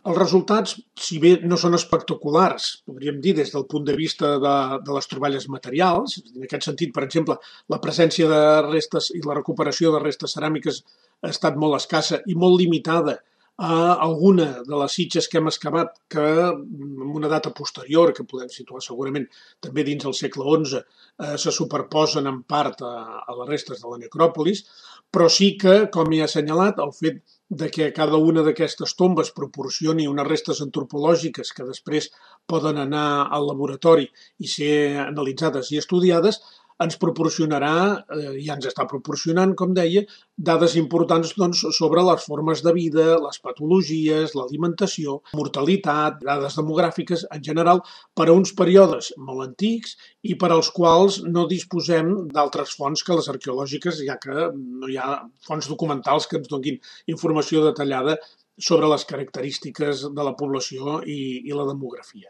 Els resultats, si bé no són espectaculars, podríem dir des del punt de vista de les troballes materials, en aquest sentit, per exemple, la presència de restes i la recuperació de restes ceràmiques ha estat molt escassa i molt limitada a alguna de les sitges que hem excavat que en una data posterior, que podem situar segurament també dins el segle XI, se superposen en part a les restes de la necròpolis, però sí que, com he assenyalat, el fet de que cada una d'aquestes tombes proporcioni unes restes antropològiques que després poden anar al laboratori i ser analitzades i estudiades, ens proporcionarà, ja ens està proporcionant, com deia, dades importants doncs, sobre les formes de vida, les patologies, l'alimentació, mortalitat, dades demogràfiques en general, per a uns períodes molt antics i per als quals no disposem d'altres fonts que les arqueològiques, ja que no hi ha fonts documentals que ens donin informació detallada sobre les característiques de la població i la demografia.